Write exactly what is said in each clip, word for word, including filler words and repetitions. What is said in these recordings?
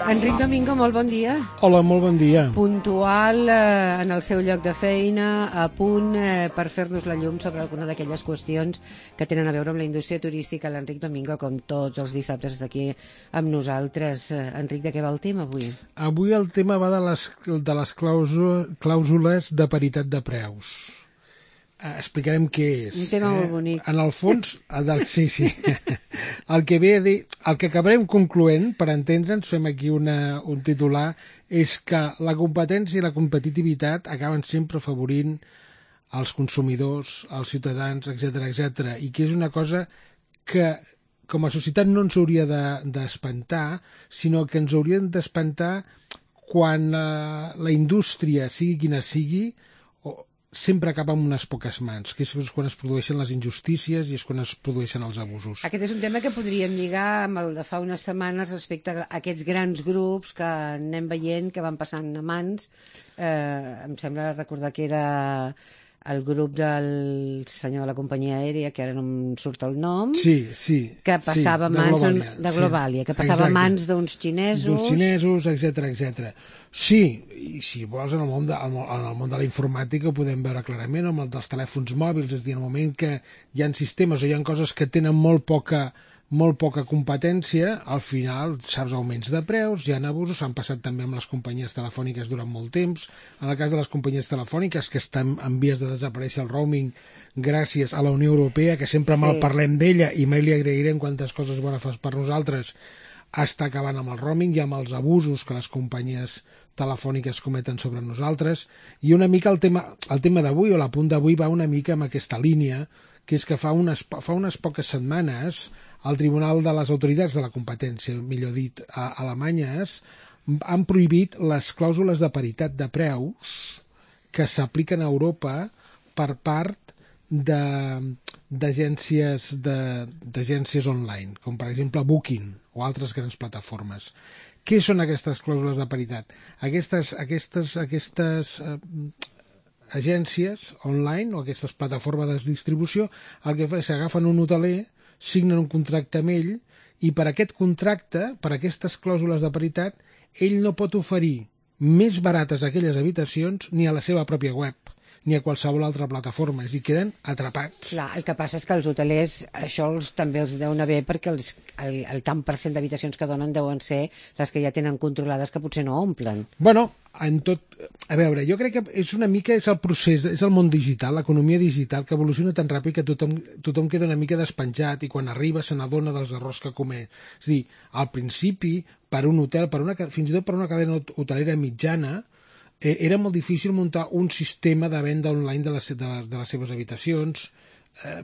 Enric Domingo, molt bon dia. Hola, molt bon dia. Puntual eh, en el seu lloc de feina, a punt eh, per fer-nos la llum sobre alguna d'aquelles qüestions que tenen a veure amb la indústria turística. L'Enric Domingo, com tots els dissabtes, està aquí amb nosaltres. Eh, Enric, de què va el tema avui? Avui el tema va de les, de les clàusules, clàusules de paritat de preus. Uh, explicarem què és. Un tema eh? molt bonic. En el fons, del, sí, sí. El que ve a dir, el que acabarem concloent, per entendre'ns, fem aquí una, un titular, és que la competència i la competitivitat acaben sempre afavorint els consumidors, els ciutadans, etcètera, etcètera, i que és una cosa que com a societat no ens hauria d'espantar, de, sinó que ens haurien d'espantar quan la, la indústria, sigui quina sigui, sempre acaba amb unes poques mans, que és quan es produeixen les injustícies i és quan es produeixen els abusos. Aquest és un tema que podríem lligar amb el de fa unes setmanes respecte a aquests grans grups que anem veient que van passant a mans. Eh, em sembla recordar que era el grup del senyor de la companyia aèria, que ara no em surt el nom, sí, sí, que passava sí, a mans Globalia, de Globalia, sí, que passava a mans d'uns xinesos... D'uns xinesos, etcètera, etcètera. Sí, i si vols, en el món de, en el món de la informàtica ho podem veure clarament, amb el dels telèfons mòbils, és a dir, en el moment que hi ha sistemes o hi ha coses que tenen molt poca molt poca competència, al final saps augments de preus, hi ha abusos, s'han passat també amb les companyies telefòniques durant molt temps. En el cas de les companyies telefòniques que estan en vies de desaparèixer el roaming gràcies a la Unió Europea, que sempre sí. mal parlem d'ella i mai li agrairem quantes coses bones fas per nosaltres, està acabant amb el roaming i amb els abusos que les companyies telefòniques cometen sobre nosaltres. I una mica el tema, el tema d'avui, o l'apunt d'avui, va una mica amb aquesta línia, que és que fa unes, fa unes poques setmanes el Tribunal de les Autoritats de la Competència, millor dit, a Alemanyes, han prohibit les clàusules de paritat de preus que s'apliquen a Europa per part d'agències de, d'agències online, com per exemple Booking o altres grans plataformes. Què són aquestes clàusules de paritat? Aquestes, aquestes, aquestes eh, agències online o aquestes plataformes de distribució el que fa és que agafen un hoteler, signen un contracte amb ell i per aquest contracte, per aquestes clàusules de paritat, ell no pot oferir més barates aquelles habitacions ni a la seva pròpia web ni a qualsevol altra plataforma, és a dir, queden atrapats. Clar, el que passa és que els hotelers això els, també els deuen haver perquè els, el, el tant per cent d'habitacions que donen deuen ser les que ja tenen controlades que potser no omplen. Bueno, en tot... A veure, jo crec que és una mica és el procés, és el món digital, l'economia digital, que evoluciona tan ràpid que tothom, tothom queda una mica despenjat i quan arriba se n'adona dels errors que comet. És a dir, al principi, per un hotel, per una, fins i tot per una cadena hotelera mitjana, eh, era molt difícil muntar un sistema de venda online de les, de les, de les seves habitacions, eh,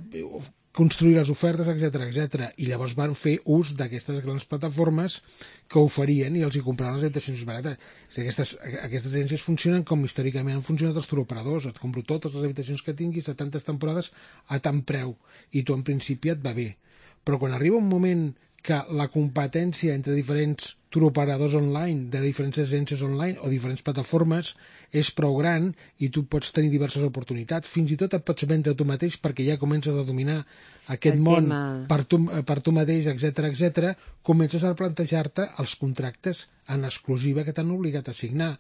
construir les ofertes, etcètera, etcètera. I llavors van fer ús d'aquestes grans plataformes que oferien i els hi compraven les habitacions barates. Aquestes, aquestes agències funcionen com històricament han funcionat els turoperadors. Et compro totes les habitacions que tinguis a tantes temporades a tant preu i tu en principi et va bé. Però quan arriba un moment que la competència entre diferents turoperadors online, de diferents agències online o diferents plataformes és prou gran i tu pots tenir diverses oportunitats. Fins i tot et pots vendre tu mateix perquè ja comences a dominar aquest El món per tu, per tu mateix, etcètera, etcètera. Comences a plantejar-te els contractes en exclusiva que t'han obligat a signar.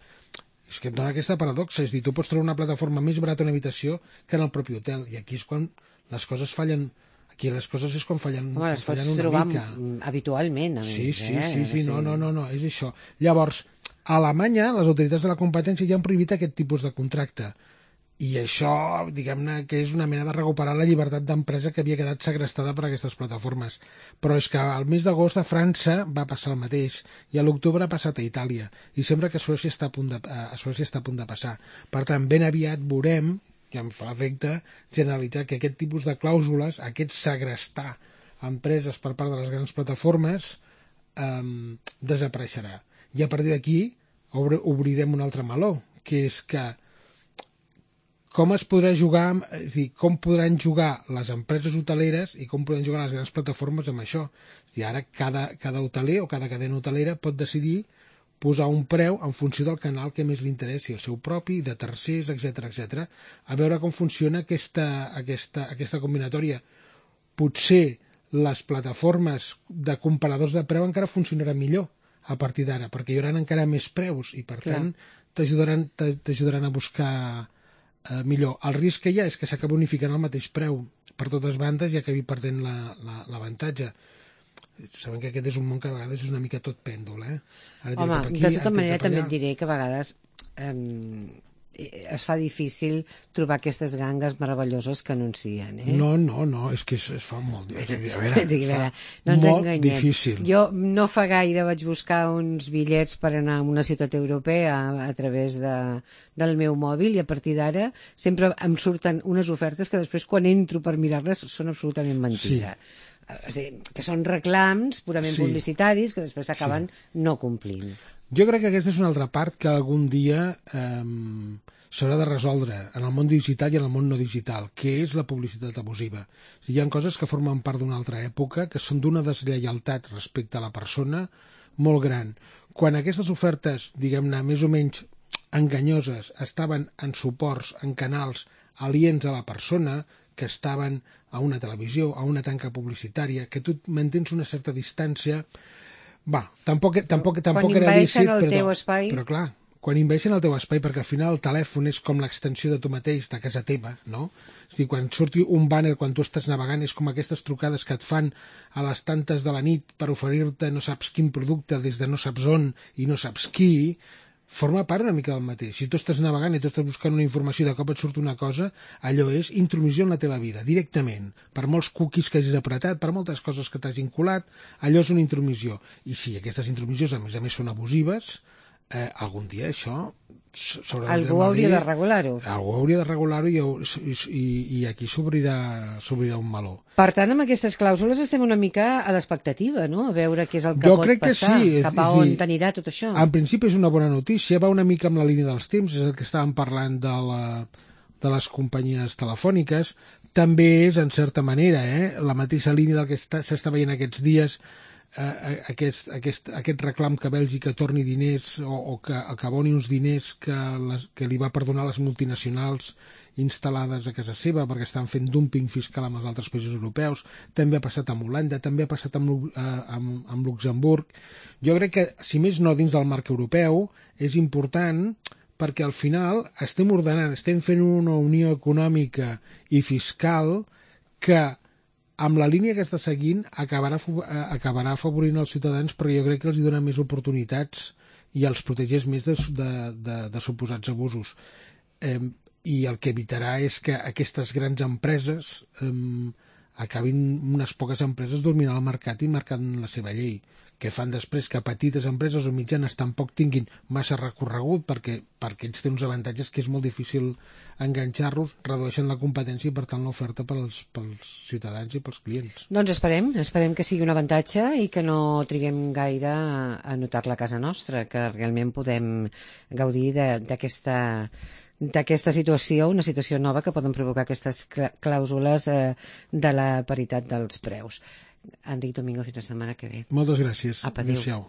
És que et dona aquesta paradoxa, és a dir, tu pots trobar una plataforma més barata a una habitació que en el propi hotel, i aquí és quan les coses fallen. Aquí les coses és quan fallen, Home, les fallen pots una trobar mica. habitualment. A sí, més, sí, eh? sí, sí, no, no, no, no, és això. Llavors, a Alemanya, les autoritats de la competència ja han prohibit aquest tipus de contracte. I això, diguem-ne, que és una mena de recuperar la llibertat d'empresa que havia quedat segrestada per aquestes plataformes. Però és que al mes d'agost a França va passar el mateix, i a l'octubre ha passat a Itàlia, i sembla que a Suècia està a punt de, a Suècia està a punt de passar. Per tant, ben aviat veurem, i em fa efecte generalitzar que aquest tipus de clàusules, aquest segrestar empreses per part de les grans plataformes, eh, desapareixerà. I a partir d'aquí obrirem un altre meló, que és que com es podrà jugar, és a dir, com podran jugar les empreses hoteleres i com podran jugar les grans plataformes amb això. És a dir, ara cada, cada hoteler o cada cadena hotelera pot decidir posar un preu en funció del canal que més li interessi, el seu propi, de tercers, etcètera, etcètera. A veure com funciona aquesta, aquesta, aquesta combinatòria. Potser les plataformes de comparadors de preu encara funcionaran millor. a partir d'ara, perquè hi haurà encara més preus i, per Clar. tant, t'ajudaran t'ajudaran a buscar eh, millor. El risc que hi ha és que s'acaba unificant el mateix preu per totes bandes i acabi perdent l'avantatge. Sabem que aquest és un món que a vegades és una mica tot pèndol, eh? Ara Home, cap aquí, de tota ara manera cap també allà. et diré que a vegades eh, es fa difícil trobar aquestes gangues meravelloses que anuncien, eh? No, no, no, és que es, es fa molt... A veure, Sí, a veure, fa no ens molt enganyem. difícil. Jo no fa gaire vaig buscar uns bitllets per anar a una ciutat europea a, a través de, del meu mòbil i a partir d'ara sempre em surten unes ofertes que després quan entro per mirar-les són absolutament mentida. Sí. O sigui, que són reclams purament Sí. publicitaris que després s'acaben sí. no complint. Jo crec que aquesta és una altra part que algun dia eh, s'haurà de resoldre en el món digital i en el món no digital, que és la publicitat abusiva. O sigui, hi ha coses que formen part d'una altra època, que són d'una deslleialtat respecte a la persona molt gran. Quan aquestes ofertes, diguem-ne, més o menys enganyoses, estaven en suports, en canals aliens a la persona, que estaven a una televisió, a una tanca publicitària, que tu mantens una certa distància. Va, tampoc, tampoc, tampoc quan era lícit, invadeixen el però, teu espai... però clar, quan invadeixen el teu espai, perquè al final el telèfon és com l'extensió de tu mateix, de casa teva, no? És a dir, quan surti un banner, quan tu estàs navegant, és com aquestes trucades que et fan a les tantes de la nit per oferir-te no saps quin producte des de no saps on i no saps qui, forma part una mica del mateix. Si tu estàs navegant i tu estàs buscant una informació i de cop et surt una cosa, allò és intromissió en la teva vida, directament. Per molts cookies que hagis apretat, per moltes coses que t'hagin colat, allò és una intromissió. I si aquestes intromissions, a més a més, són abusives, eh, algun dia això s'haurà de... Algú hauria de regular-ho. Algú hauria de regular-ho i, i, i aquí s'obrirà un meló. Per tant, amb aquestes clàusules estem una mica a l'expectativa, no? A veure què és el que Jo pot crec que passar, sí, cap a és- és on dir, t'anirà tot això. En principi és una bona notícia, va una mica amb la línia dels temps, és el que estàvem parlant de, la, de les companyies telefòniques, també és, en certa manera, eh, la mateixa línia del que està- s'està veient aquests dies, eh, aquest, aquest, aquest reclam que Bèlgica torni diners o, o que, que aboni uns diners que, les, que li va perdonar les multinacionals instal·lades a casa seva perquè estan fent dumping fiscal amb els altres països europeus. També ha passat amb Holanda, també ha passat amb, Lu- eh, amb, amb Luxemburg. Jo crec que, si més no dins del marc europeu, és important perquè al final estem ordenant, estem fent una unió econòmica i fiscal que amb la línia que està seguint acabarà, fo- eh, acabarà afavorint els ciutadans, però jo crec que els hi dona més oportunitats i els protegeix més de, de, de, de suposats abusos. Eh, I el que evitarà és que aquestes grans empreses eh, acabin unes poques empreses dominant el mercat i marcant la seva llei, que fan després que petites empreses o mitjanes tampoc tinguin massa recorregut perquè, perquè ells tenen uns avantatges que és molt difícil enganxar-los, redueixen la competència i per tant l'oferta pels, pels ciutadans i pels clients. Doncs esperem, esperem que sigui un avantatge i que no triguem gaire a, a notar-la a casa nostra, que realment podem gaudir de- d'aquesta d'aquesta situació, una situació nova que poden provocar aquestes clà- clàusules eh, de la paritat dels preus. Enric Domingo, fins la setmana que ve. Moltes gràcies. Apa, adéu. Adéu-siau.